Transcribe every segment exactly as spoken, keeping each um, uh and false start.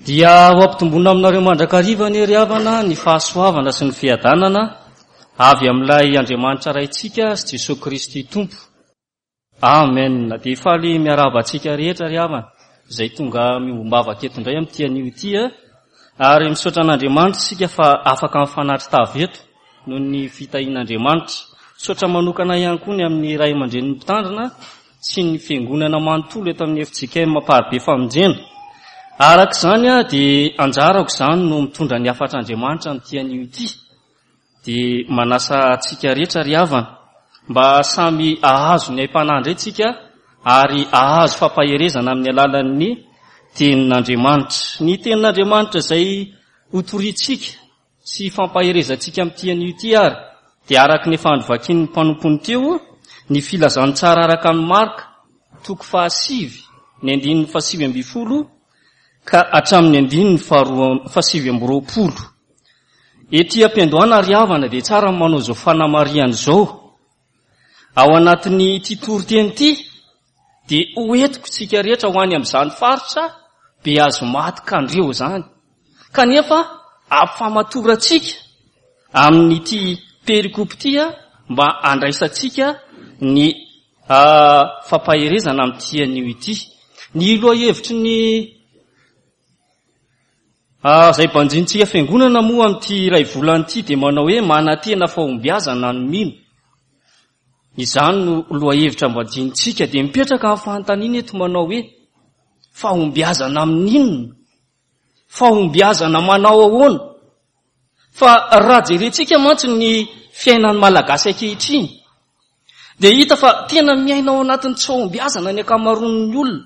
Dia ho ampitomboina aminareo mandrakariva anie ry havana ny fahasoavana sy ny fiadanana avy amin'ilay Andriamanitra Raintsika sy Jesoa Kristy Tompo. Amen. Dia faly miarahaba antsika rehetra ry havana izay tonga miombom-bavaka eto indray amin'ity anio ity. Ary misaotra an'Andriamanitra isika fa afaka mifanatri-tava eto noho ny fitahian'Andriamanitra. Misaotra manokana ihany koa ny amin'ny ray aman-drenin'ny mpitandrina sy ny fiangonana manontolo eto amin'ny F J K M Amparibe Famonjena. Araka izany dia anjarako izany no mitondra ny hafatr'Andriamanitra amin'ity anio ity. Dia manasa antsika rehetra ry havana mba samy hahazo ny aim-panahy indray tsika ary hahazo fampaherezana amin'ny alalan'ny tenin'Andriamanitra. Ny tenin'Andriamanitra izay hotorintsika sy fampaherezantsika amin'ity anio ity ary dia araka ny efa novakin'ny mpanompony teo ny filazantsara araka ny Marka toko fahasivy ny andininy fahasivy ambin'ny folo ka hatramin'ny andininy faharoa fahasivy amby roapolo. Ety am-piandohana ry havana dia tsara ny manao izao fanamarihana izao. Ao anatin'ny ity toriteny ity dia hoentiko tsika rehetra ho any amin'izany faritra be azo maty kandreo izany. Kanefa ampifamatorantsika amin'ity perikopa ity mba handraisantsika ny fampaherezana amin'ity anio ity. Ny lohahevitry ny izay banjintsika fiangonana moa amin'ity iray volana ity dia manao hoe manantena fahombiazana ny mino. Izany no lohahevitra banjintsika. Dia mipetraka amin'ny fanontaniana eto manao hoe fahombiazana amin'inona? Fahombiazana manao ahoana? Fa raha jerentsika mantsy ny fiainan'ny Malagasy ankehitriny dia hita fa tena miaina ao anatin'ny tsy fahombiazana ny ankamaroan'ny olona.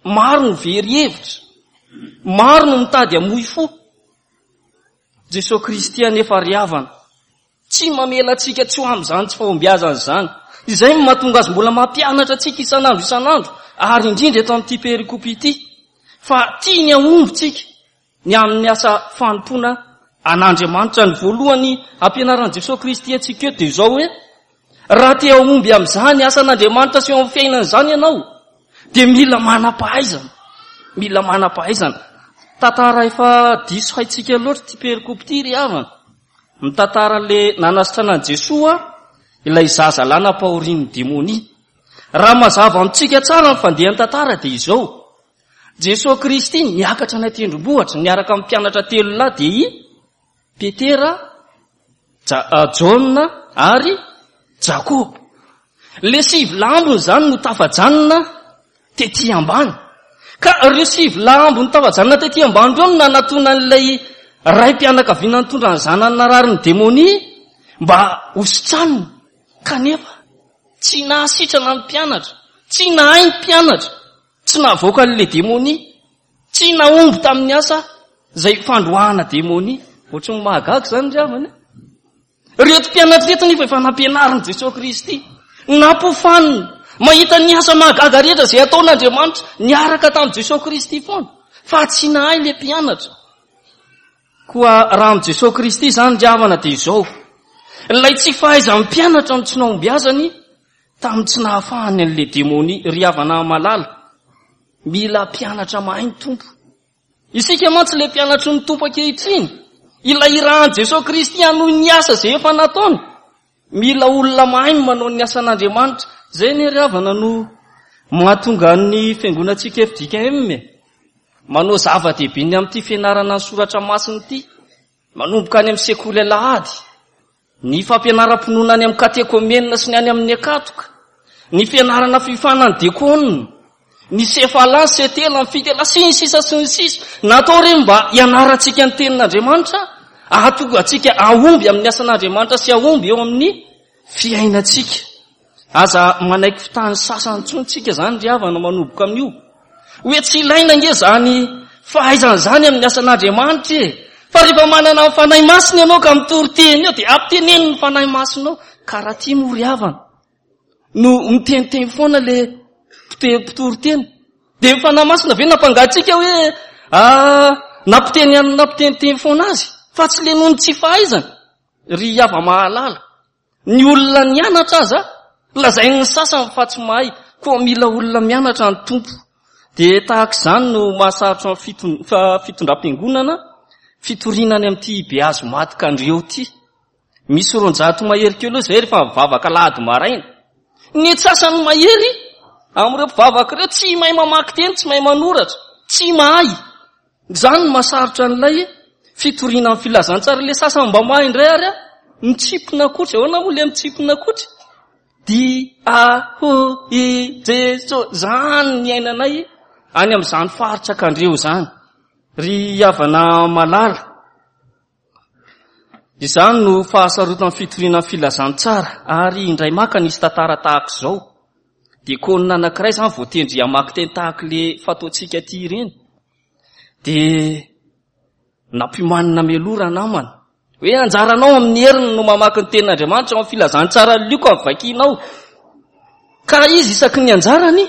Maro no very hevitra, maro no mitady hamoy fo. Jesoa Kristy anefa ry havana tsy mamela antsika tsy ho amin'izany tsy fahombiazana izany. Izay no mahatonga azy mbola mampianatra antsika isan'andro isan'andro, ary indrindra eto amin'ity perikopa ity, fa tiany hahomby tsika ny amin'ny asa fanompoana an'Andriamanitra. Ny voalohany ampianaran'i Jesoa Kristy antsika eto dia izao hoe raha te hahomby amin'izany asan'Andriamanitra sy eo amin'ny fiainana izany ianao dia mila manam-pahaizana, mila manam-pahaizana. Tantara efa diso haintsika loatra ity perikopa ity ry havana. Mitantara le nanasitrana an'i Jesoa ilay zaza lahy nampahorian'ny demonia. Raha mazava amintsika tsara ny fandehan'ny tantara dia izao: Jesoa Kristy niakatra any an-tendrombohitra niaraka amin'ny mpianatra telo lahy dia i Petera, Ja-, Jaona ary Jakoba. Le sivy lambony izany no tafajanona tety ambany. Ka ireo sivy lambony tafajanona tety ambany ireo no nanatona an'ilay ray-mpianakaviana nitondra ny zanany narary ny demonia mba hositraniny. Kanefa tsy nahasitrana ny mpianatra, tsy nahay ny mpianatra, tsy nahavoaka an'ilay demonia, tsy nahomby tamin'ny asa izay fandroahana demonia. Ohatry ny mahagaga izany ry havana. Ireto mpianatra ireto nefa efa nampianarin'i Jesoa Kristy, nampofanina, mahita ny asa mahagaga rehetra izay ataon'Andriamanitra niaraka tamin'i Jesoa Kristy foana, fa tsy nahay ilay mpianatra. Koa raha amin'i Jesoa Kristy izany ry havana dia izao: ilay tsy fahaizan'ny mpianatra no tsy nahombiazany tamin'ny tsy nahafahany an'ilay demonia. Ry havana malala, mila mpianatra mahay ny Tompo. Isika mantsy ilay mpianatry ny Tompo ankehitriny, ilay irahan'i Jesoa Kristy hanohy ny asa izay efa nataony. Mila olona mahay ny manao ny asan'Andriamanitra. Izay anie ry havana no mahatonga ny fiangonantsika F J K M manao zava-dehibe ny amin'ity fianarana ny soratra masina ity, manomboka any amin'ny sekoly alahady, ny fampianaram-pinoana any amin'ny katekomenina sy ny any amin'ny akatoka, ny fianarana fifanan'ny dekona, ny sefala, ny setela, ny fitela, sy ny sisa sy ny sisa. Natao ireny mba hianarantsika ny tenin'Andriamanitra, hahatonga antsika hahomby amin'ny asan'Andriamanitra sy hahomby eo amin'ny fiainantsika. Aza manaiky fitany sasany intsony tsika izany ry havana manomboka amin'io. Hoe tsy ilaina nge izany fahaizana izany amin'ny asan'Andriamanitra e. Fa rehefa manana ny Fanahy Masina ianao ka mitory teny eo dia ampiteneno ny Fanahy Masina ao. Ka raha tia moa ry havana no miteniteny foana le mpitory teny, dia ny Fanahy Masina ve nampangatsika hoe, ah, nampiteny an'ny nampiteniteny foana azy, fa tsy le noho ny tsy fahaizana. Ry hava mahalala, ny olona nianatra aza lazain'ny sasany fa tsy mahay, koa mila olona mianatra ny Tompo. Dia tahaka izany no mahasarotra ny fiton-, fa-, fitondram-piangonana, fitoriana any amin'ity Behazo maty Kandreo ity. Misy roanjato mahery kely eo izay rehefa mivavaka alahady maraina. Ny antsasany mahery amin'ireo mpivavaka ireo tsy mahay mamaky teny, tsy mahay manoratra, tsy mahay. Izany no mahasarotra an'ilay fitoriana amin'ny filazantsara. Ilay sasany mba mahay indray ary a, mitsipona kotra. Ahoana moa ilay mitsipona kotra? D A H I Jeso. Izany ny iainanay any amin'izany faritra Kandreo izany. Ry havana malala, izany no fahasarotan'ny fitoriana ny filazantsara. Ary indray maka nisy tantara tahaka izao. Diakona anankiray izany voatendry hamaky teny tahaka ilay fataontsika aty ireny. Dia nampiomanina mialoha ranamana hoe anjaranao amin'ny heriny no mamaky ny tenin'Andriamanitra ao amin'ny filazantsara Lioka ny vakinao. Ka izy isaky ny anjarany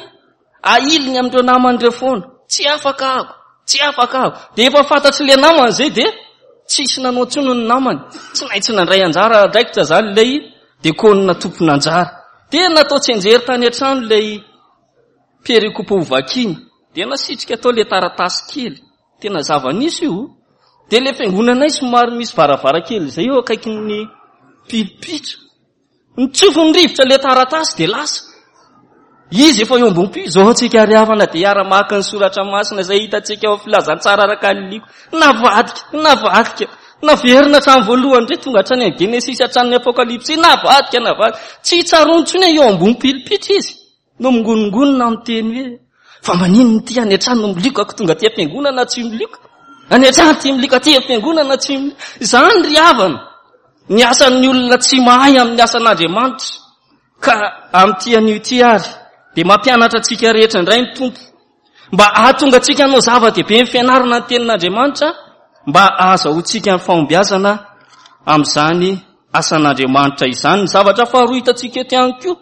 ahiliny amin'ireo namany ireo foana. Tsy afaka aho, tsy afaka aho. Dia efa fantatry ilay namany izay dia tsisy nanao intsony ny namany. Tsy maintsy nandray anjara andraikitra izany ilay diakona tompon'anjara. Dia natao tsianjery tany an-trano ilay perikopa ho vakiana. Dia nasitrika tao ilay taratasy kely. Tena zava-nisy io. Dia ilay fiangonanay somary misy varavarankely izay eo akaikin'ny pilipitra. Nitsofin'ny rivotra ilay taratasy dia lasa. Izy efa eo ambony pi-, izao antsika ry havana dia hiara-maka ny soratra masina izay hitantsika ao filazantsara araka ny Lioka. Navadika, navadika, naverina hatramin'ny voalohany indray, tonga hatrany amin'ny Genesisy, hatramin'ny Apokalypsy, navadika, navadika. Tsy tsaroany intsony eo ambony pilipitra izy. No mingonongonona amin'ny teny hoe fa maninona ity any an-trano no milioka, ko tonga aty am-piangonana tsy milioka. Any an-trano ity milioka, aty am-piangonana tsy milioka. Izany ry havana, ny asan'ny olona tsy mahay amin'ny asan'Andriamanitra. Ka amin'ity anio ity ary dia mampianatra antsika rehetra indray ny Tompo mba hahatonga antsika hanao zava-dehibe ny fianarana ny tenin'Andriamanitra, mba hahazahoantsika ny fahombiazana amin'izany asan'Andriamanitra izany. Ny zavatra faharoa hitantsika eto ihany koa,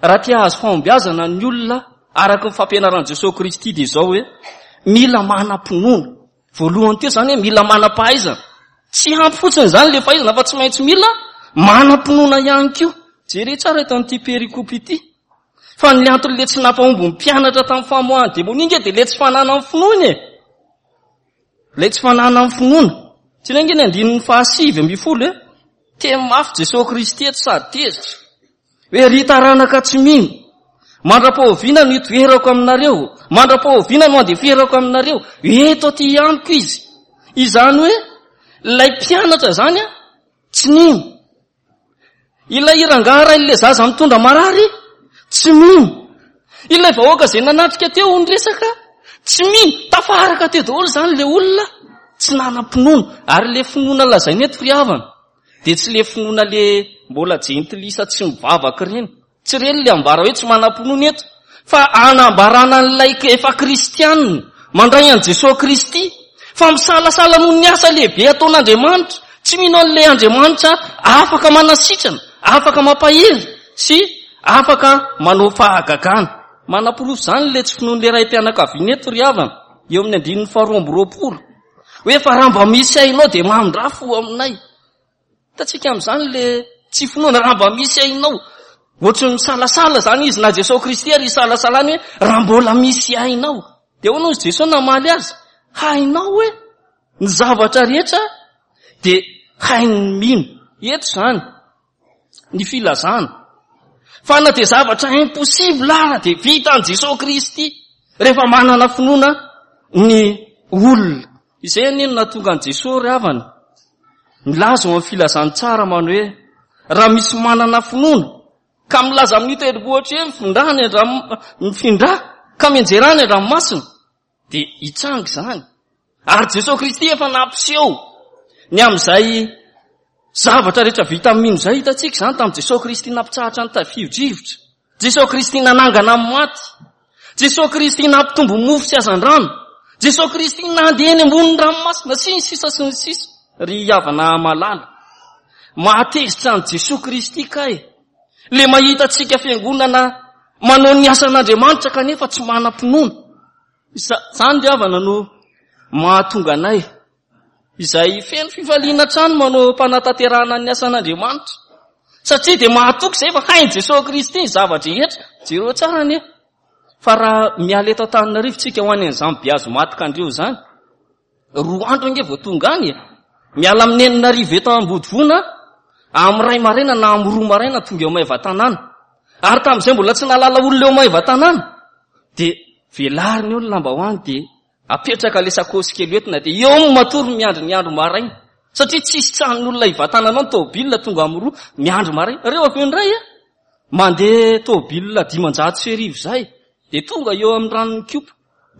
raha te hahazo fahombiazana ny olona araka ny fampianaran'i Jesoa Kristy dia izao hoe mila manam-pinoana. Voalohany teo izany hoe mila manam-pahaizana. Tsy ampy fotsiny izany ilay fahaizana fa tsy maintsy mila manam-pinoana ihany koa. Jereo tsara eto amin'ity perikopa ity. Fa ny antony ilay tsy nampahomby ny mpianatra tamin'ny famoahana demonia nge dia ilay tsy fananany finoana e. Ilay tsy fananany finoana. Tsy ireny nge ny andininy fahasivy ambin'ny folo e. Teny mafy Jesoa Kristy eto sady tezitra. Hoe ry taranaka tsy mino, mandra-pahoviana no hitoerako aminareo, mandra-pahoviana no handeferako aminareo, eto aty amiko izy. Izany hoe ilay mpianatra izany a, tsy nino. Ilay rangahy ray ilay zaza mitondra marary, tsy mino. Ilay vahoaka izay nanatrika teo ny resaka, tsy mino. Tafaraka teo daholo izany ilay olona tsy nanam-pinoana. Ary ilay finoana lazaina eto ry havana dia tsy ilay finoana ilay mbola jentilisa tsy mivavaka ireny. Tsy ireny ilay ambara hoe tsy manam-pinoana eto, fa anambarana an'ilay efa kristianina mandray an'i Jesoa Kristy, fa misalasala noho ny asa lehibe ataon'Andriamanitra, tsy mino an'ilay Andriamanitra afaka manasitrana, afaka mampahery sy afaka manao fahagagana. Manaporofo izany ilay tsy finoan'ilay raim-pianakaviana eto ry havana, eo amin'ny andininy faharoa amby roapolo. Hoe fa raha mba misy hainao dia mamindrafo aminay. Hitantsika amin'izany ilay tsy finoana, raha mba misy hainao. Ohatry ny misalasala izany izy, na Jesoa Kristy ary isalasalany hoe raha mbola misy hainao. Dia ahoana hoy Jesoa namaly azy? Hainao hoe ny zavatra rehetra dia hain'ny mino. Eto izany ny filazana fa na dia zavatra impossible ara dia vitan'i Jesoa Kristy rehefa manana finoana ny olona. Izay anie no nahatonga an'i Jesoa ry havana milaza ao amin'ny filazantsara manao hoe raha misy manana finoana ka milaza amin'io tendrombohitra io mifindra any an-drano-, mifindra ka mianjera any an-dranomasina dia hitranga izany. Ary Jesoa Kristy efa nampiseho ny amin'izay zavatra rehetra vita amin'ny mino izay. Hitantsika izany tamin'i Jesoa Kristy nampitsahatra ny tafio-drivotra, Jesoa Kristy nanangana amin'ny maty, Jesoa Kristy nampitombo mofo sy hazandrano, Jesoa Kristy nandeha eny ambonin'ny ranomasina sy ny sisa sy ny sisa. Ry havana malala, mahatezitra an'i Jesoa Kristy kay le mahita antsika fiangonana manao ny asan'Andriamanitra kanefa tsy manam-pinoana. Izany ry havana no mahatonga anay izay feno fifaliana hatrany manao mpanatanterahana ny asan'Andriamanitra, satria dia mahatoky izay fa hain'i Jesoa Kristy ny zava-drehetra. Jereo tsara anie Fa raha miala eto Antananarivo tsika ho any an'izany Beazomaty-Kandreho izany, roa andro ange vao tonga any e. Miala amin'ny enina arivo eto Ambodivona, amin'ny iray maraina na amin'ny roa maraina tonga eo Maevatanàna. Ary tamin'izay mbola tsy nahalala olona eo Maevatanàna, dia velarina eo ny lambahoany, dia apetraka ilay sakosy kely entina, dia eo no matory miandry ny andro maraina. Satria tsisy tranon'olona hivatananao ny tômôbila tonga amin'ny roa miandry maraina. Reo avy eo indray a, mandeha tômôbila dimanjato sy arivo izay, dia tonga eo amin'ny ranon'ny Kopa,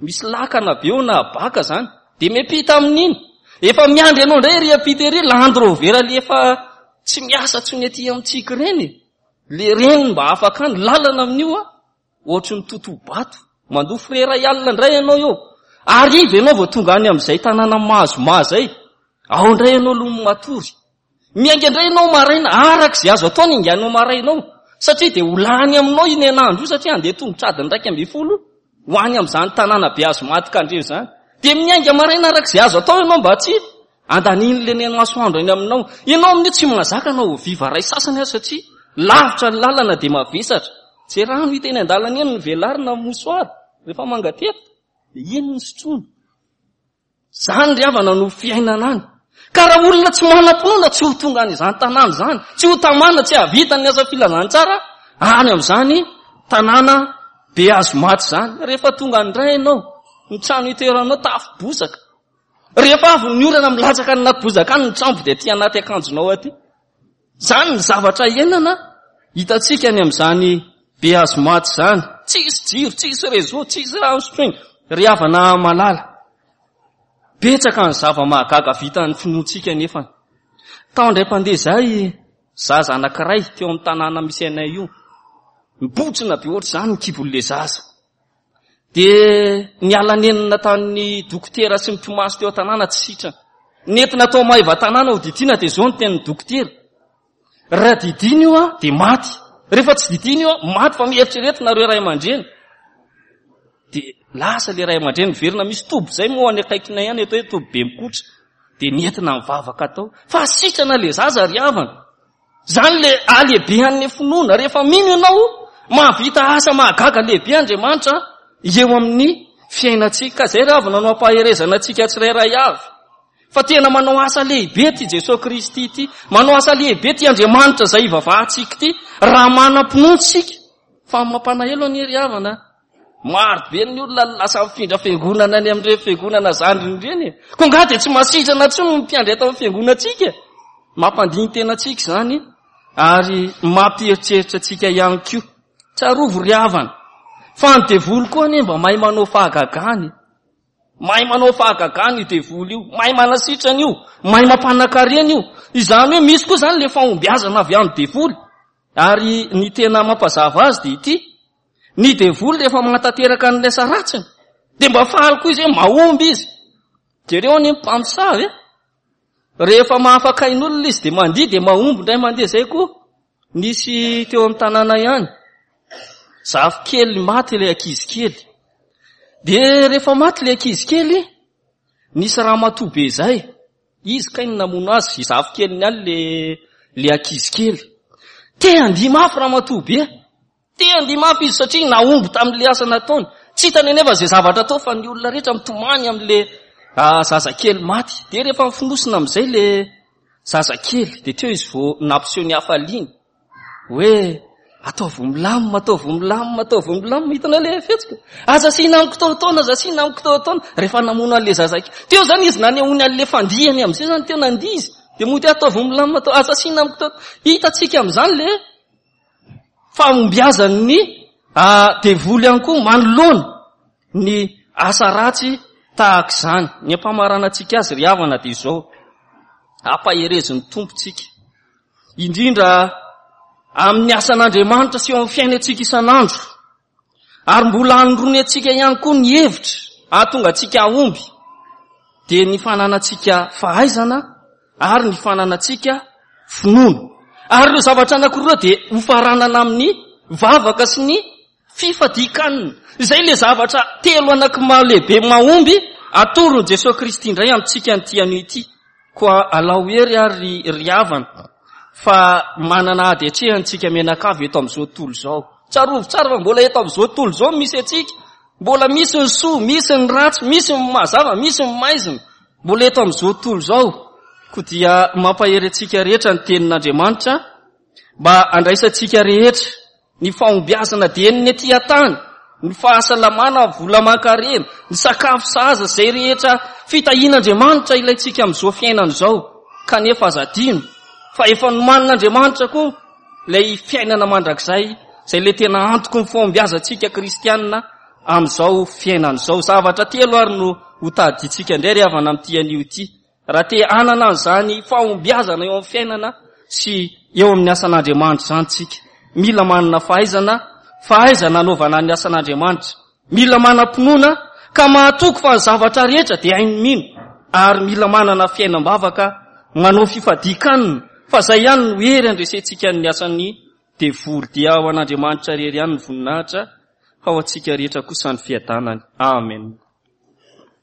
misy lakana be eo na baka zany, dia miampita amin'iny. Efa miandry ianao indray ery ampita ery, Land Rover le efa tsy miasa intsony aty amintsika ireny. Le reny mba afaka any, lalana amin'io a, ohatry ny totobato. Mandoa frais iray alina indray ianao eo. Arivo ianao vao tonga any amin'izay tanàna mahazo zay. Ao indray ianao aloha matory. Miainga indray ianao maraina, araka izay azo atao ny inganao maraina ao. Satria dia ho lany aminao iny anandro io, satria handeha tongotra adiny iraika ambin'ny folo ho any amin'izany tanàna Beazomaty-Kandreho izany. Dia miainga maraina araka izay azo atao ianao mba tsy andanin'ilay neny masoandro eny aminao. Ianao amin'io tsy mahazaka anao ho viva ray sasany aza, satria lavitra ny lalana dia mavesatra. Tsy rano hita eny an-dalana eny ny velarina amin'ny mosoara rehefa mangateka, dia iny ny sotroina. Izany ry havana no fiainana any. Ka raha olona tsy manam-pinoana tsy ho tonga any izany tanàna izany, tsy ho tamana, tsy hahavita ny asa filazantsara any amin'izany tanàna Beazomaty izany. Rehefa tonga indray ianao, ny trano itoeranao tafo bozaka. Rehefa avy ny orana milatsaka any anaty bozaka any ny trambo dia aty anaty akanjonao aty. Izany ny zavatra iainana hitantsika any amin'izany Beazomaty izany. Tsisy jiro, tsisy réseau, tsisy rano sotroina. Ry havana malala, betsaka ny zava-mahagaga vitan'ny finoantsika nefa. Tao indray mpandeha izay zaza anankiray teo amin'ny tanàna misy anay io, mibotsina be ohatr'izany ny kibon'ilay zaza. Dia niala nenina tamin'ny dokotera sy ny mpimasy teo an-tanàna tsy sitrana. Nentina tao Maevatanàna ho didiana, dia izao ny tenin'ny dokotera: raha didiana io a, dia maty. Rehefa tsy didiana io a, maty, fa mieritreretina ireo ray aman-dreny. Dia lasa ilay ray aman-dreny miverina, misy toby izay moa any akaikinay ihany atao hoe toby be mikotra. Dia nentina mivavaka tao. Fa sitrana ilay zaza ry havana. Izany ilay halehibehan'ny finoana. Rehefa mino ianao, mahavita asa mahagaga lehibe Andriamanitra eo amin'ny fiainantsika. Ka izay ry havana no ampaherezana antsika tsirairay avy. Fa tena manao asa lehibe ty Jesoa Kristy ity, manao asa lehibe ty Andriamanitra izay ivavahantsika ity, raha manam-pinoana isika. Fa mampanahelo anie ry havana, maro be ny olona lasa mifindra fiangonana any amin'ireny fiangonana zandriny ireny e. Koa angaha dia tsy masitrana intsony ny mpiandry eto amin'ny fiangonantsika. Mampandini-tena antsika izany ary mampieritreritra antsika ihany koa. Tsarovy ry havana, fa ny devoly koa anie mba mahay manao fahagagana. Mahay manao fahagagana io devoly io, mahay manasitrana io, mahay mampanakarena io. Izany hoe misy koa izany le fahombiazana avy amin'ny devoly. Ary ny tena mampazava azy dia ity: ny devoly rehefa manatanteraka ny asa ratsiny dia mba faly koa izy hoe mahomby izy. Jereo anie ny mpamosavy e. Rehefa mahafaka ain'olona izy dia mandihy, dia mahomby indray mandeha. Izay koa nisy teo amin'ny tanàna ihany, zafikely maty ilay ankizy kely. Dia rehefa maty ilay ankizy kely, nisy ramatoa be izay, izy kay no namono azy, zafikeliny ihany le, le ankizy kely. Te handihy mafy ramatoa be, te handihy mafy izy satria nahomby tamin'ilay asa nataony. Tsy hitany anefa izay zavatra atao fa ny olona rehetra mitomany amin'ilay, ah, zazakely maty. Dia rehefa mifonosina amin'izay le zazakely, dia teo izy vao nampiseho ny hafaliany hoe ataovy milamina, ataovy milamina, ataovy milamina. Hitanao ilay fihetsika? Aza asiana amiko taotaona, aza asiana amiko taotaona. Rehefa namono an'ilay zazakely teo zany izy, nanehoany an'ilay fandihany amin'izay zany, teo nandihy izy, dia mody ataovy milamina, atao, aza asiana amiko taotaona. Hitantsika amin'izany le fahombiazan'ny, ah, devoly ihany koa manoloana ny asa ratsy tahaka izany. Ny ampamaranantsika azy ry havana dia izao: ampaherezin'ny Tompo tsika, indrindra amin'ny asan'Andriamanitra sy eo amin'ny fiainantsika isan'andro, ary mbola hanoroany antsika ihany koa ny hevitra hahatonga antsika hahomby, dia ny fananantsika fahaizana ary ny fananantsika finoana. Ary ireo zavatra anankiroa dia hofaranana amin'ny vavaka sy ny fifadian-kanina. Izay ilay zavatra telo anankiroa lehibe mahomby atoron'i Jesoa Kristy indray amintsika an'ity anio ity. Koa alao hery ary ry havana, fa manana ady atrehantsika mianakavy eto amin'izao tontolo izao. Tsarovy tsara fa mbola eto amin'izao tontolo izao misy antsika. Mbola misy ny soa, misy ny ratsy, misy ny mazava, misy ny maizina. Mbola eto amin'izao tontolo izao. Koa dia mampahery antsika rehetra ny tenin'Andriamanitra mba handraisantsika rehetra ny fahombiazana dien'ny ety an-tany, ny fahasalamana, vola aman-karena, ny sakafo sahaza, izay rehetra fitahian'Andriamanitra ilaintsika amin'izao fiainana izao. Kanefa aza adino fa efa nomanin'Andriamanitra koa ilay fiainana mandrakizay, izay ilay tena antoky ny fahombiazantsika kristianina amin'izao fiainana izao. Zavatra telo ary no hotadidintsika indray ry havana amin'ity anio ity. Raha te hanana an'izany fahombiazana eo amin'ny fiainana sy eo amin'ny asan'Andriamanitra izany tsika, mila manana fahaizana, fahaizana anaovana ny asan'Andriamanitra. Mila manam-pinoana ka mahatoky fa ny zavatra rehetra dia hain'ny mino, ary mila manana fiainam-bavaka manao fifadian-kanina, fa izay ihany no hery handresentsika ny asan'ny devoly. Dia ho an'Andriamanitra irery ihany ny voninahitra, fa ho antsika rehetra kosa ny fiadanany. Amen.